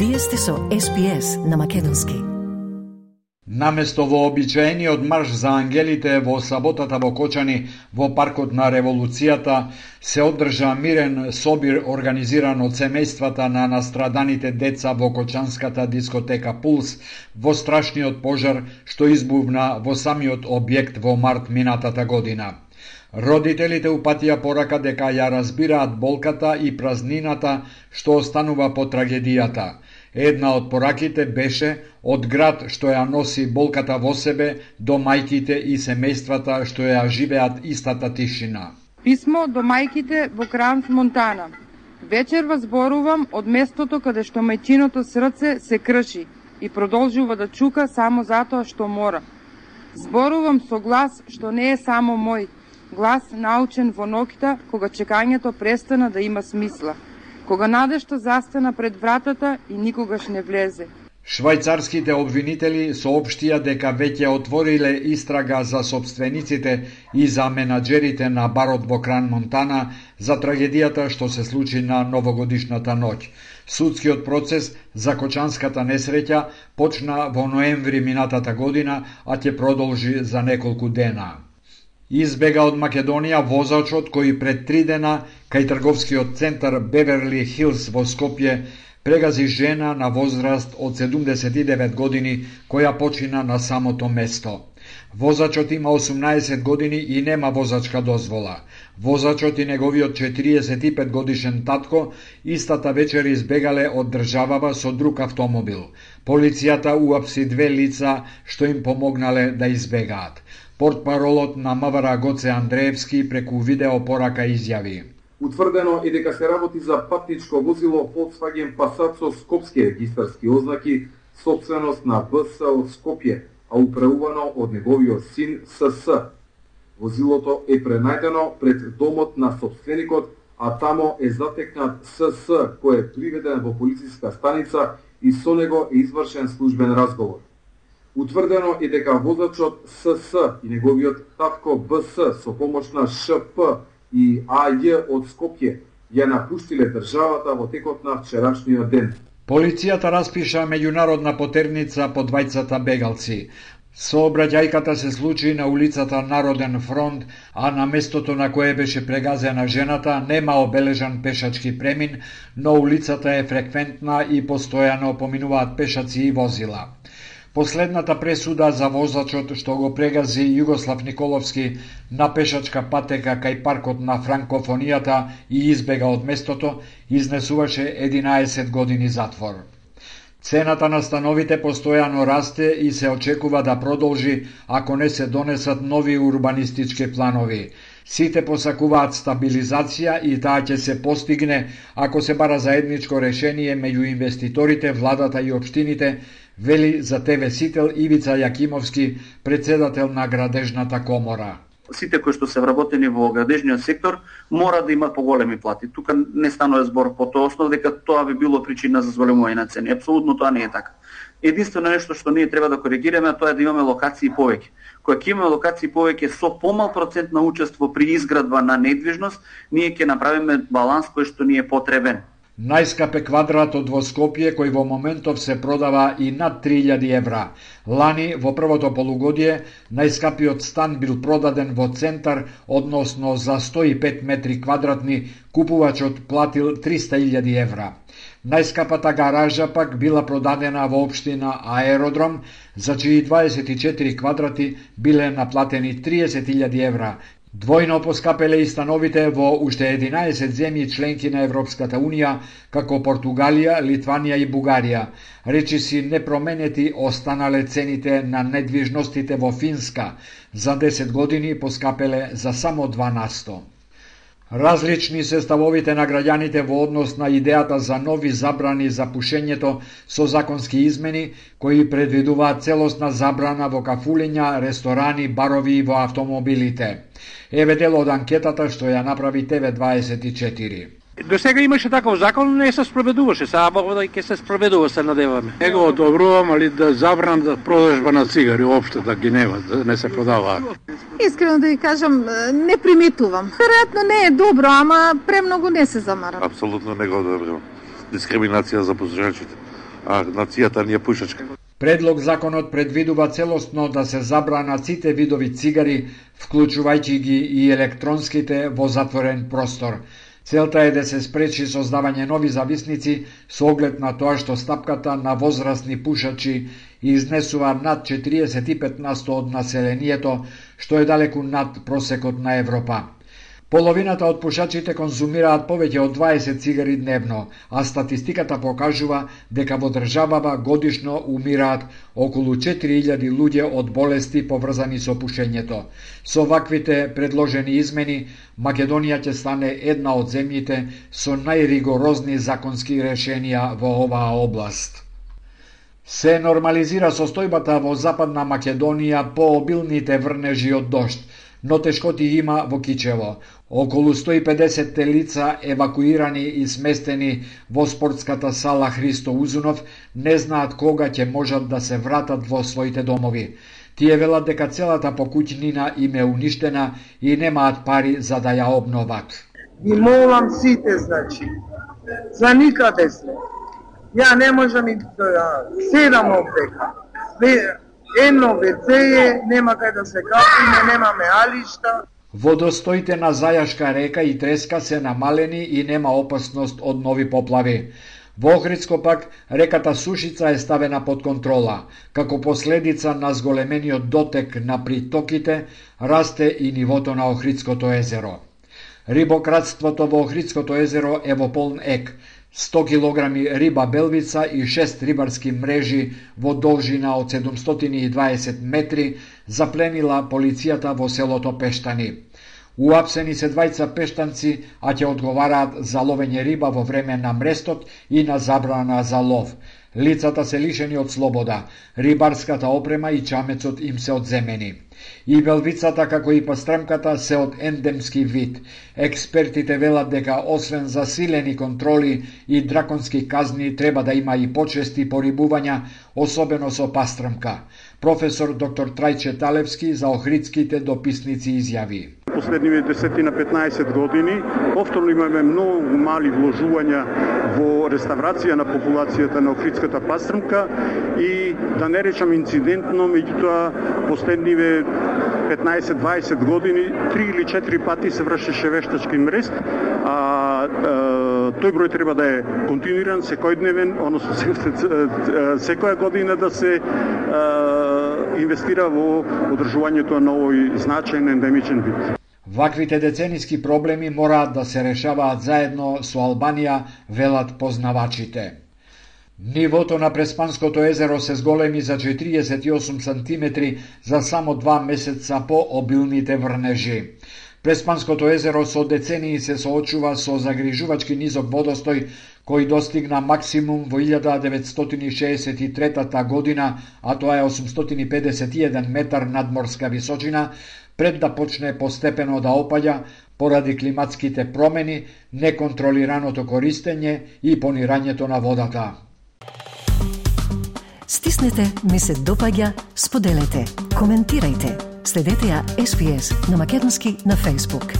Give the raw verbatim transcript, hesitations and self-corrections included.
Вие сте со Ес Би Ес на македонски. Наместо вообичаениот марш за ангелите во саботата во Кочани во паркот на Револуцијата се одржа мирен собир организиран од семејствата на настраданите деца во кочанската дискотека Пулс во страшниот пожар што избувна во самиот објект во март минатата година. Родителите упатија порака дека ја разбираат болката и празнината што останува по трагедијата. Една од пораките беше од град што ја носи болката во себе до мајките и семејствата што ја живеат истата тишина. Писмо до мајките во Кранс, Монтана. Вечер вас зборувам од местото каде што мајчиното срце се крши и продолжува да чука само затоа што мора. Зборувам со глас што не е само мој, глас научен во ноќта кога чекањето престана да има смисла, кога надежта застана пред вратата и никогаш не влезе. Швајцарските обвинители соопштија дека веќе отвориле истрага за собствениците и за менаџерите на барот во Кран, Монтана за трагедијата што се случи на новогодишната ноќ. Судскиот процес за кочанската несреќа почна во ноември минатата година, а ќе продолжи за неколку дена. Избега од Македонија возачот кој пред три дена кај трговскиот центар Беверли Хилс во Скопје прегази жена на возраст од седумдесет и девет години која почина на самото место. Возачот има осумнаесет години и нема возачка дозвола. Возачот и неговиот четириесет и пет годишен татко истата вечер избегале од државава со друг автомобил. Полицијата уапси две лица што им помогнале да избегаат. Портпаролот на МВР Гоце Андреевски преку видеопорака изјави: Утврдено е дека се работи за патничко возило Volkswagen Passat со скопски регистарски ознаки, собственост на Б С од Скопје, а управувано од неговиот син С С. Возилото е пренајдено пред домот на собственикот, а тамо е затекнат С С, кој е приведен во полициска станица и со него е извршен службен разговор. Утврдено е дека возачот С С и неговиот татко Б С со помош на Ш П и А Ј од Скопје ја напуштиле државата во текот на вчерашниот ден. Полицијата распиша меѓународна потерница по двајцата бегалци. Сообраќајката се случи на улицата Народен фронт, а на местото на кое беше прегазена жената нема обележан пешачки премин, но улицата е фреквентна и постојано поминуваат пешаци и возила. Последната пресуда за возачот што го прегази Југослав Николовски на пешачка патека кај паркот на франкофонијата и избега од местото, изнесуваше единаесет години затвор. Цената на становите постојано расте и се очекува да продолжи ако не се донесат нови урбанистички планови. Сите посакуваат стабилизација и таа ќе се постигне ако се бара заедничко решение меѓу инвеститорите, владата и општините, вели за Те Ве Сител Ивица Јакимовски, председател на градежната комора. Сите кои што се вработени во градежниот сектор мора да имаат поголеми плати. Тука не станува збор по тоа основ дека тоа би било причина за зголемување на цени. Апсолутно тоа не е така. Единствено нешто што ние треба да коригираме, тоа е да имаме локации повеќе. Кога ќе имаме локации повеќе со помал процент на учество при изградба на недвижност, ние ќе направиме баланс кој што ни е потребен. Најскап е квадратот во Скопје, кој во моментов се продава и над три илјади евра. Лани, во првото полугодие, најскапиот стан бил продаден во центар, односно за сто и пет метри квадратни, купувачот платил триста илјади евра. Најскапата гаража пак била продадена во општина Аеродром, за чии дваесет и четири квадрати биле наплатени триесет илјади евра. Двојно поскапеле и становите во уште единаесет земји членки на Европската Унија, како Португалија, Литванија и Бугарија. Речиси непроменети останале цените на недвижностите во Финска. За десет години поскапеле за само два на сто. Различни се ставовите на граѓаните во однос на идејата за нови забрани за пушењето со законски измени кои предвидуваат целосна забрана во кафулиња, ресторани, барови и во автомобилите. Еве дел од анкетата што ја направи Те Ве дваесет и четири. До сега имаше таков закон, не се спроведуваше, сега да ќе се спроведува, се надеваме. Не го одобрувам, али да забран да продажба на цигари општо да ги нема, да не се продаваат. Искрено да ви кажам, не приметувам. Веројатно не е добро, ама премногу не се замарам. Апсолутно не го одобрувам. Дискриминација за пушачите. а нацијата ни е пушачка. Предлог законот предвидува целосно да се забранат сите видови цигари, вклучувајќи ги и електронските во затворен простор. Целта е да се спречи создавање нови зависници со оглед на тоа што стапката на возрастни пушачи изнесува над четириесет и пет на сто од населението, што е далеку над просекот на Европа. Половината од пушачите конзумираат повеќе од дваесет цигари дневно, а статистиката покажува дека во државава годишно умираат околу четири илјади луѓе од болести поврзани со пушењето. Со ваквите предложени измени, Македонија ќе стане една од земјите со најригорозни законски решенија во оваа област. Се нормализира состојбата во Западна Македонија по обилните врнежи од дожд, но тешкоти има во Кичево. Околу сто и педесет лица евакуирани и сместени во спортската сала Христо Узунов не знаат кога ќе можат да се вратат во своите домови. Тие велат дека целата покуќнина им е уништена и немаат пари за да ја обноват. И молам сите, значи, за никаде сме. Ја не можам и да седам овдека. Едно веце е, нема кај да се капиме, немаме алишта. Водостоите на Зајашка река и Треска се намалени и нема опасност од нови поплави. Во Охридско пак реката Сушица е ставена под контрола. Како последица на зголемениот дотек на притоките, расте и нивото на Охридското езеро. Рибократството во Охридското езеро е во полн ек. сто килограми риба белвица и шест рибарски мрежи во должина од седумстотини и дваесет метри запленила полицијата во селото Пештани. Уапсени се двајца пештанци, а ќе одговараат за ловење риба во време на мрестот и на забрана за лов. Лицата се лишени од слобода, рибарската опрема и чамецот им се одземени. И белвицата како и пастремката се од ендемски вид. Експертите велат дека освен засилени контроли и драконски казни треба да има и почести порибувања, особено со пастремка. Професор доктор Трајче Талевски за охридските дописници изјави. Последниве десет-петнаесет години повторно имаме многу мали вложувања во реставрација на популацијата на охридската пастремка и да не речам инцидентно, меѓутоа последниве петнаесет-дваесет години три или четири пати се вршеше вештачки мрест, а, а тој број треба да е континуиран, секојдневен, односно секоја година да се а, инвестира во одржувањето на овој значаен ендемичен вид. Ваквите децениски проблеми мораат да се решаваат заедно со Албанија, велат познавачите. Нивото на Преспанското езеро се зголеми за четириесет и осум сантиметри за само два месеца по обилните врнежи. Преспанското езеро со децении се соочува со загрижувачки низок водостој кој достигна максимум во илјада деветстотини шеесет и трета година, а тоа е осумстотини педесет и еден метар надморска височина, пред да почне постепено да опаѓа поради климатските промени, неконтролираното користење и понирањето на водата. Стиснете, ми се допаѓа, споделете, коментирајте. Следете ја Ес Би Ес на македонски на Facebook.